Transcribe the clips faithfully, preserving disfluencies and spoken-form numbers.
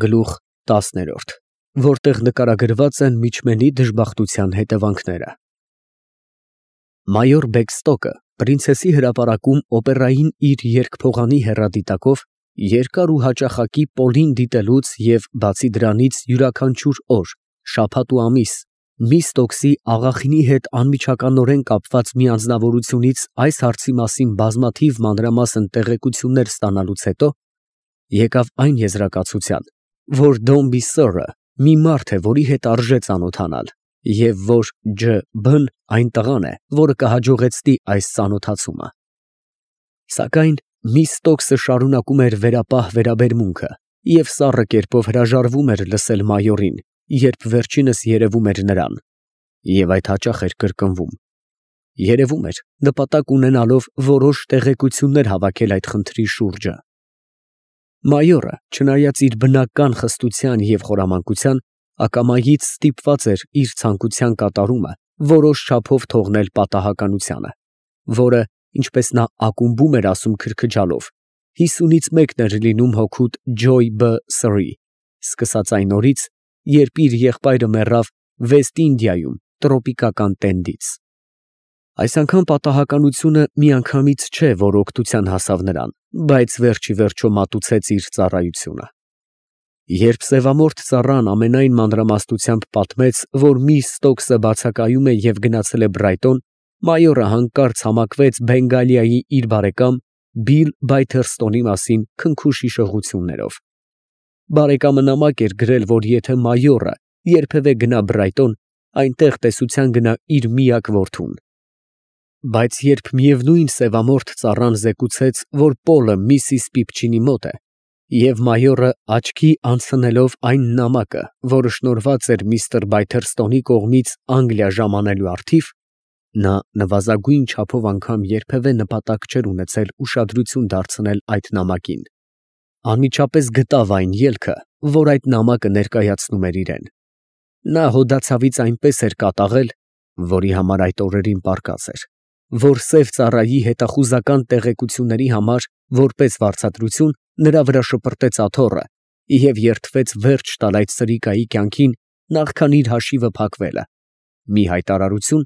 Գլուխ տասն, որտեղ նկարագրված են միջմենի դժբախտության հետևանքները։ Մայոր Բեքստոկը Պրինցեսի հրապարակում օպերային իր երգ-փողանի հեռադիտակով երկար ու հաճախակի Պոլին դիտելուց և բացի դրանից յուրաքանչյուր օր, շաբաթ ու ամիս միս Տոքսի աղախինի հետ անմիջականորեն կապված մի անձնավորությունից այս հարցի մասին բազմաթիվ մանրամասն տեղեկություններ ստանալուց հետո, եկավ այն եզրակացության, որ Դոմբի Սըրը մի մարդ է, որի հետ արժե ծանոթանալ, և որ Ջ. Բ-ն այն տղան է, որը կհաջողեցնի այս ծանոթացումը։ Սակայն միս Տոքսը շարունակում էր վերապահ վերաբերմունքը և սառը կերպով հրաժարվում էր լսել մայորին, երբ վերջինս երևում էր նրան, և այդ հաճախ էր կրկնվում։ Երևում էր, նպատակ ունենալով որոշ տեղեկություններ հավաքել այդ խնդրի շուրջը։ Մայորը, չնայած իր բնական խստության և խորամանկության, ակամայից ստիպված էր իր ցանկության կատարումը որոշ չափով թողնել պատահականությանը, որը, ինչպես նա ակումբում էր ասում քրքջալով, հիսունից մեկն էր լինում հօգուտ Ջոյ Բ. Սըրի, սկսած այն օրից, երբ իր եղբայրը մեռավ Վեստ Ինդիայում տրոպիկական տենդից։ Այս անգամ պատահականությունը միանգամից չէ, որ օգնության հասավ նրան, բայց վերջ ի վերջո մատուցեց իր ծառայությունը։ Երբ սևամորթ ծառան ամենայն մանրամասնությամբ պատմեց, որ միս Ստոքսը բացակայում է և գնացել է Բրայտոն, մայորը հանկարծ համակվեց Բենգալիայի իր բարեկամ Բիլ Բայթերստոնի մասին քնքուշ հիշողություններով։ Բարեկամը նամակ էր գրել, որ եթե մայորը երբևէ գնա Բրայտոն, այնտեղ տեսության գնա իր միակ որդուն։ Բայց երբ միևնույն սևամորթ ծառան զեկուցեց, որ Պոլը միսիս Պիպչինի մոտ է, և մայորը աչքի անցնելով այն նամակը, որը շնորհված էր միստր Բայթերստոնի կողմից Անգլիա ժամանելու առթիվ, նա նվազագույն չափով անգամ երբևէ նպատակ չէր ունեցել ուշադրություն դարձնել այդ նամակին, անմիջապես գտավ այն ելքը, որ այդ նամակը ներկայացնում էր իրեն։ Նա հոդացավից այնպես էր կատաղել, որի համար այդ օրերին պարկած էր, որ սև ծառայի հետախուզական տեղեկությունների համար որպես վարձատրություն նրա վրա շպրտեց աթոռը և երդվեց վերջ տալ այդ սրիկայի կյանքին նախքան իր հաշիվը փակվելը, մի հայտարարություն,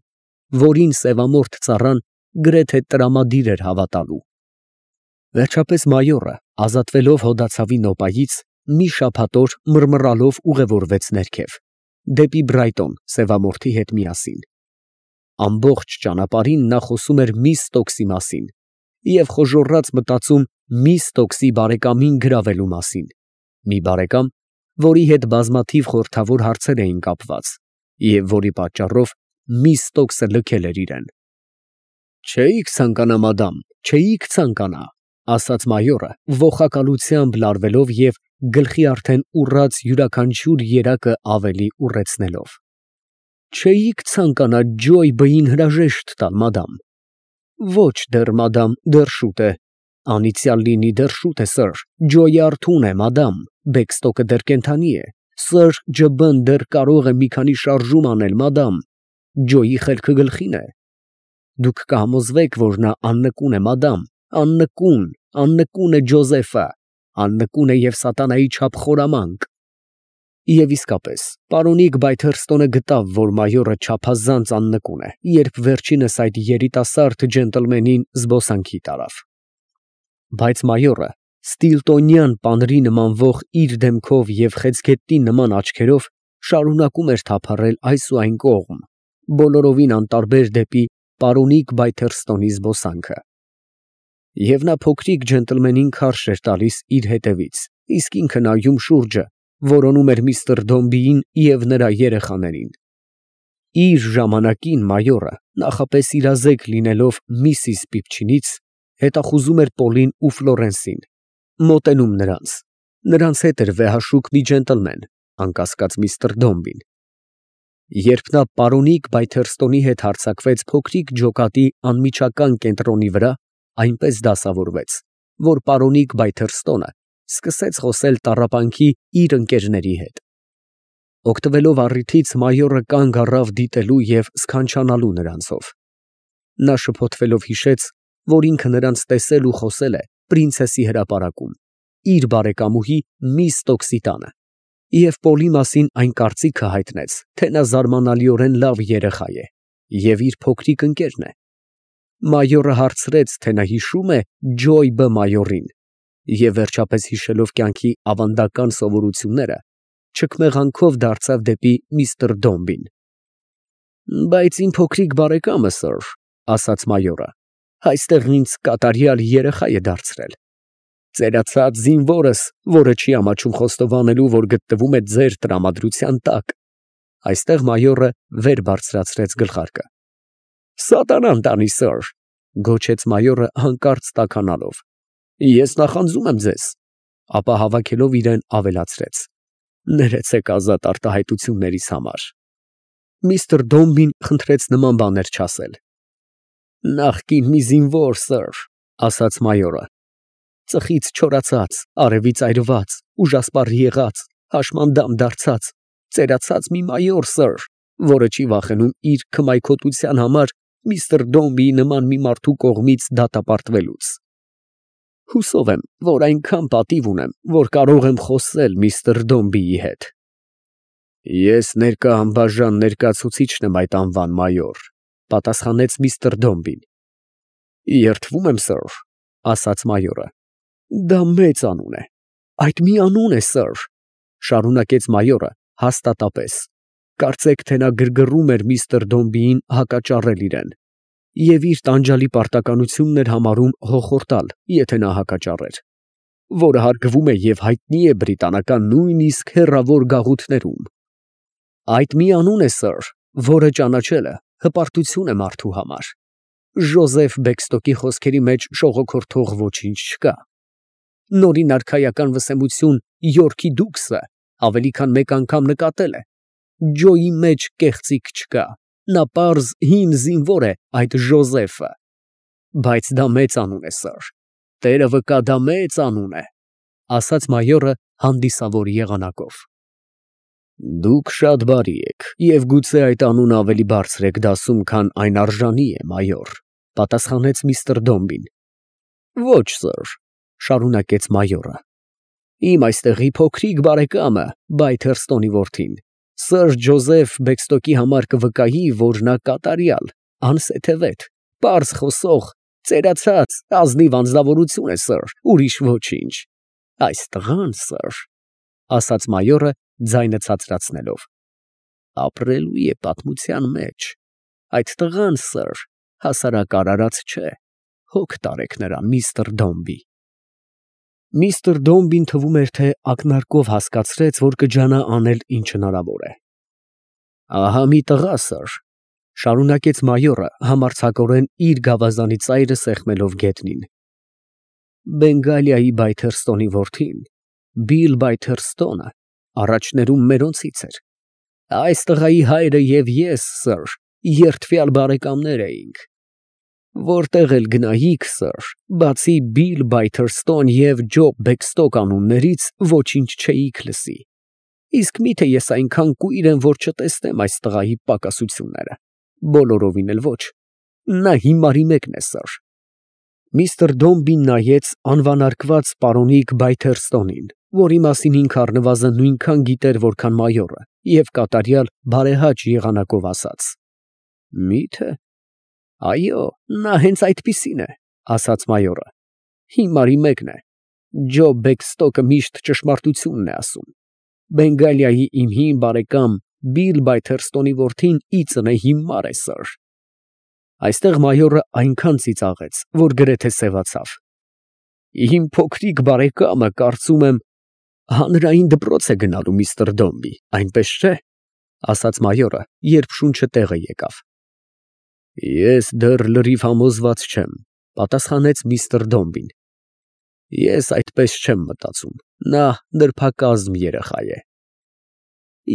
որին սևամորթ ծառան գրեթե տրամադիր էր հավատալու։ Վերջապես մայորը, ազատվելով հոդացավի նոպայից, մի շաբաթ օր մռմռալով ուղևորվեց ներքև, դեպի Բրայտոն սևամորթի հետ միասին։ Ամբողջ ճանապարհին նա խոսում էր միս Ստոքսի մասին և խոժոռաց մտածում միս Ստոքսի բարեկամին գրավելու մասին, մի բարեկամ, որի հետ բազմաթիվ խորհրդավոր հարցեր էին կապված և որի պատճառով միս Ստոքսը լքել էր իրեն։ «Չէի՞ք ցանկանա, մադամ, չէի՞ք ցանկանա», ասաց մայորը, ոխակալությամբ լարվելով և գլխի արդեն ուռած յուրաքանչյուր երակը ավելի ուռեցնելով։ «Չէի՞ք ցանկանա Ջոյ Բ֊ին հրաժեշտ տալ, մադամ»։ «Ոչ դեռ, մադամ, դեռ շուտ է»։ «Անիծյալ լինի, դեռ շուտ է, սըր, Ջոյը արթուն է, մադամ, Բեքստոկը դեռ կենդանի է, սըր Ջ. Բ-ն դեռ կարող է մի քանի շարժում անել, մադամ, Ջոյի խելքը գլխին է։ Դուք կհամոզվեք, որ նա աննկուն է, մադամ, աննկուն, աննկուն է Ջոզեֆը, աննկուն է և սատանայի չափ խորամանկ»։ Եվ իսկապես, պարոնիկ Բայթերստոնը գտավ, որ մայորը չափազանց աննկուն է, երբ վերջինս այդ երիտասարդ ջենտլմենին զբոսանքի տարավ։ Բայց մայորը Ստիլտոնյան պանրի նմանվող իր դեմքով և խեցգետնի նման աչքերով շարունակում էր թափառել այս ու այն կողմ, բոլորովին անտարբեր դեպի պարոնիկ Բայթերստոնի զբոսանքը։ Եվ նա փոքրիկ ջենտլմենին քարշ էր տալիս իր հետևից, իսկ ինքը նայում շուրջը, որոնում էր միստր Դոմբիին և նրա երեխաներին։ Իր ժամանակին մայորը, նախապես իրազեկ լինելով միսիս Պիպչինից, հետախուզում էր Պոլին ու Ֆլորենսին, մոտենում նրանց, նրանց հետ էր վեհաշուկ մի ջենտլմեն, անկասկած միստր Դոմբին։ Երբ նա պարոնիկ Բայթերստոնի հետ հարձակվեց փոքրիկ ջոկատի անմիջական կենտրոնի վրա, այնպես դասավորվեց, որ պարոնիկ Բայթերստոնը սկսեց խոսել տառապանքի իր ընկերների հետ։ Օգտվելով առիթից մայորը կանգ առավ դիտելու և սքանչանալու նրանցով։ Նա շփոթվելով հիշեց, որ ինքը նրանց տեսել ու խոսել է պրինցեսի հրապարակում, իր բարեկամուհի միս Ստոքսի տանը, Եվ Պոլի մասին այն կարծիքը հայտնեց, թե նա զարմանալիորեն լավ երեխա է և իր փոքրիկ ընկերն է։ Մայորը հարցրեց, թե նա հիշո՞ւմ է Ջոյ Բ. մայորին, և վերջապես հիշելով կյանքի ավանդական սովորությունները, չքմեղանքով դարձավ դեպի միստր Դոմբին։ Բայց իմ փոքրիկ բարեկամը, սըր, ասաց մայորը, այստեղ ինձ կատարյալ երեխա է դարձրել։ Ծերացած զինվորս, որը չի ամաչում խոստովանելու, որ գտնվում է ձեր տրամադրության տակ։ Այստեղ մայորը վեր բարձրացրեց գլխարկը։ Սատանան տանի, սըր, գոչեց մայորը հանկարծ տաքանալով։ Ես նախանձում եմ ձեզ, ապա հավաքելով իրեն ավելացրեց. ներեցեք ազատ արտահայտություններիս համար։ Միստր Դոմբին խնդրեց նման բաներ չասել։ Նախկին մի զինվոր, սըր, ասաց մայորը, ծխից չորացած, արևից այրված, ուժասպառ եղած, հաշմանդամ դարձած, ծերացած մի մայոր, սըր, որը չի վախենում իր քմայքոտության համար միստր Դոմբիի նման մի մարդու կողմից դատապարտվելուց։ Հուսով եմ, որ այնքան պատիվ ունեմ, որ կարող եմ խոսել միստր Դոմբիի հետ։ Ես ներկա անբաժան ներկայացուցիչն եմ այդ անվան, մայոր, պատասխանեց միստր Դոմբին։ Երդվում եմ, սըր, ասաց մայորը։ Դա մեծ անուն է։ Այդ մի անուն է, սըր, շարունակեց մայորը հաստատապես։ Կարծեք, թե նա գրգռում էր միստր Դոմբիին հակաճառել իրեն, և իր տանջալի պարտականությունն էր համարում հոխորտալ, եթե նա հակաճառեր, որը հարգվում է և հայտնի է բրիտանական նույնիսկ հեռավոր գաղութներում։ Այդ մի անուն է, սըր, որը ճանաչելը հպարտություն է մարդու համար։ Ժոզեֆ Բեքստոկի խոսքերի մեջ շողոքորթող ոչինչ չկա։ Նորին արքայական վսեմություն Յորքի դուքսը ավելի քան մեկ անգամ նկատել է։ Ջոյի մեջ կեղծիք չկա, նա պարզ հին զինվոր է, այդ Ժոզեֆը։ Բայց դա մեծ անուն է, սըր, տերը վկա, դա մեծ անուն է, ասաց մայորը հանդիսավոր եղանակով։ Դուք շատ բարի եք, և գուցե այդ անունը ավելի բարձր եք դասում, քան այն արժանի է, մայոր, պատասխանեց միստր Դոմբին։ Ոչ, սըր, շարունակեց մայորը։ Իմ այստեղի փոքրիկ բարեկամը, Բայթերստոնի որդին, սըր Ջոզեֆ Բեքստոկի համար կվկայի, որ նա կատարյալ, անսեթևետ, պարզ խոսող, ծերացած, ազնիվ անձնավորություն է, սըր, ուրիշ ոչինչ։ Այս տղան, սըր, ասաց մայորը ձայնը ցածրացնելով, ապրելու է պատմության մեջ։ Այդ տղան, սըր, հասարակ արարած չէ, հոգ տարեք նրան, միստր Դոմբի։ Միստր Դոմբին թվում էր, թե ակնարկով հասկացրեց, որ կջանա անել ինչ հնարավոր է։ Ահա մի տղա, սըր, շարունակեց մայորը համարձակորեն իր գավազանի ծայրը սեղմելով գետնին։ Բենգալիայի Բայթերստոնի որդին, Բիլ Բայթերստոնը, առաջներում մերոնցից էր։ Այս տղայի հայրը և ես, սըր, երդվյալ բարեկամներ էինք։ Որտեղ էլ գնայիք, սըր, բացի Բիլ Բայթերստոն և Ջոբ Բեքստոկ անուններից ոչինչ չէիք լսի։ Իսկ միթե ես այնքան կույր եմ, որ չտեսնեմ այս տղայի պակասությունները։ Բոլորովին էլ ոչ։ Նա հիմարի մեկն է, սըր։ Միստր Դոմբին նայեց անվանարկված պարոնիկ Բայթերստոնին, որի մասին ինքը առնվազն նույնքան գիտեր, որքան մայորը, և կատարյալ բարեհաճ եղանակով ասաց. Մի՞թե։ Այո, նա հենց այդպիսին է, ասաց մայորը։ Հիմարի մեկն է։ Ջոբ Բեքստոկը միշտ ճշմարտությունն է ասում։ Բենգալիայի իմ հին բարեկամ Բիլ Բայթերստոնի որդին իծն է հիմար է, սըր։ Այստեղ մայորը այնքան ծիծաղեց, որ գրեթե սևացավ։ Իմ փոքրիկ բարեկամը, կարծում եմ, հանրային դպրոց է գնալու, միստր Դոմբի, այնպես չէ, ասաց մայորը, երբ շունչը տեղը եկավ։ Ես դեռ լրիվ համոզված չեմ, պատասխանեց միստր Դոմբին։ Ես այդպես չեմ մտածում, նա նրբակազմ երեխա է։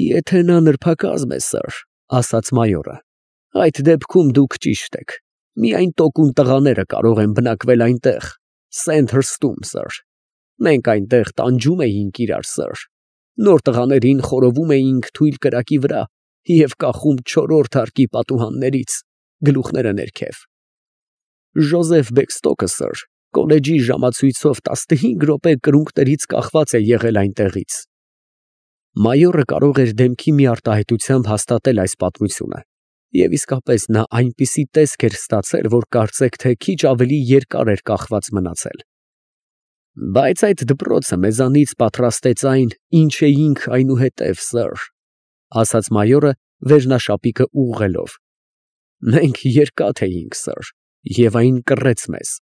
Եթե նա նրբակազմ է, սըր, ասաց մայորը, այդ դեպքում դուք ճիշտ եք։ Միայն տոկուն տղաները կարող են բնակվել այնտեղ, Սենդհըրսթում, սըր։ Մենք այնտեղ տանջում էինք իրար, սըր։ Նոր տղաներին խորովում էինք թույլ կրակի վրա և կախում չորրորդ հարկի պատուհաններից, գլուխները ներքև։ Ժոզեֆ Բեքստոկը, սըր, կոլեջի ժամացույցով տասնհինգ րոպե կրունկներից կախված է եղել այնտեղից։ Մայորը կարող էր դեմքի մի արտահայտությամբ հաստատել այս պատմությունը, և իսկապես նա այնպիսի տեսք էր ստացել, որ կարծեք թե քիչ ավելի երկար էր կախված մնացել։ Բայց այդ դպրոցը մեզանից պատրաստեց այն, ինչ էինք այնուհետև, սըր, ֊ ասաց մայորը վերնաշապիկը ուղղելով։ Մենք երկաթ էինք, սըր, և այն կռեց մեզ։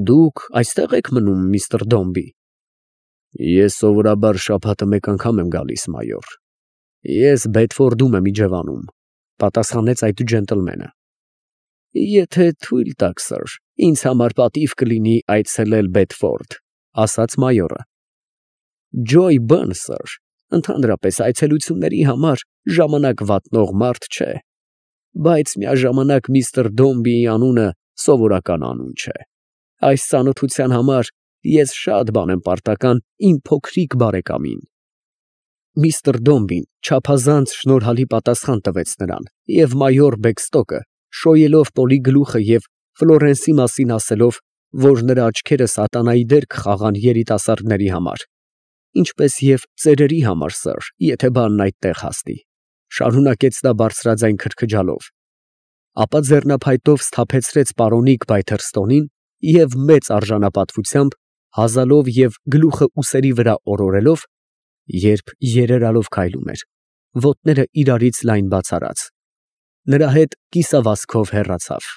Դուք այստե՞ղ եք մնում, միստր Դոմբի։ Ես սովորաբար շաբաթը մեկ անգամ եմ գալիս, մայոր։ Ես Բեդֆորդում եմ իջևանում, ֊ պատասխանեց այդ ջենտլմենը։ Եթե թույլ տաք, սըր, ինձ համար պատիվ կլինի այցելել Բեդֆորդ, ֊ ասաց մայորը։ Ջոյ Բըն, սըր, ընդհանրապես այցելությունների համար ժամանակ վատնող մարդ չէ, բայց միաժամանակ միստր Դոմբիի անունը սովորական անուն չէ։ Այս ծանոթության համար ես շատ բան եմ պարտական իմ փոքրիկ բարեկամին։ Միստր Դոմբին չափազանց շնորհալի պատասխան տվեց նրան, և մայոր Բեքստոկը, շոյելով Պոլի գլուխը և Ֆլորենսի մասին ասելով, որ նրա աչքերը սատանայի դեր կխաղան երիտասարդների համար, ինչպես և ծերերի համար, սըր, եթե բանն այդտեղ հասնի, շարունակեց նա բարձրաձայն քրքջալով, ապա ձեռնափայտով սթափեցրեց պարոնիկ Բայթերստոնին և մեծ արժանապատվությամբ հազալով և գլուխը ուսերի վրա օրորելով, երբ երերալով քայլում էր, ոտները իրարից լայն բաց արած, նրա հետ կիսավազքով հեռացավ։